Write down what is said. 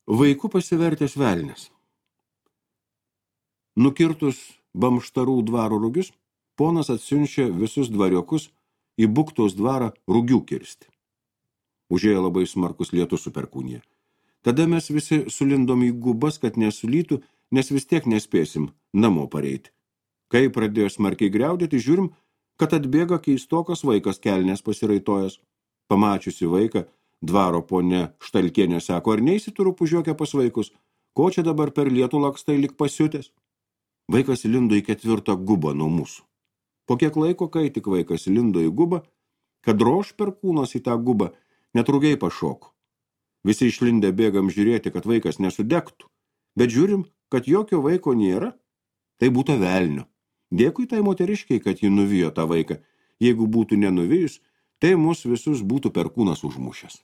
Vaiku pasivertęs velnias. Nukirtus Bamštarų dvaro rugius, ponas atsiunčia visus dvariokus į Buktos dvarą rugių kirsti. Užėjo labai smarkus lietus su perkūnija. Tada mes visi sulindom į gubas, kad nesulytų, nes vis tiek nespėsim namo pareiti. Kai pradėjo smarkiai griaudėti, žiūrim, kad atbėga keistokas vaikas kelnės pasiraitojęs. Pamačiusi vaiką, dvaro ponia Štalkienė sako, ar neįsituru pužiokę pas vaikus, ko čia dabar per lietų lakstai lik pasiutęs? Vaikas lindo į 4. gubą nuo mūsų. Po kiek laiko, kai tik vaikas lindo į gubą, kad droš perkūnas į tą gubą, net rugiai pašoko. Visi išlindę bėgam žiūrėti, kad vaikas nesudegtų, bet žiūrim, kad jokio vaiko nėra, tai būtų velnio. Dėkui tai moteriškiai, kad ji nuvijo tą vaiką. Jeigu būtų nenuvijus, tai mus visus būtų perkūnas užmušęs.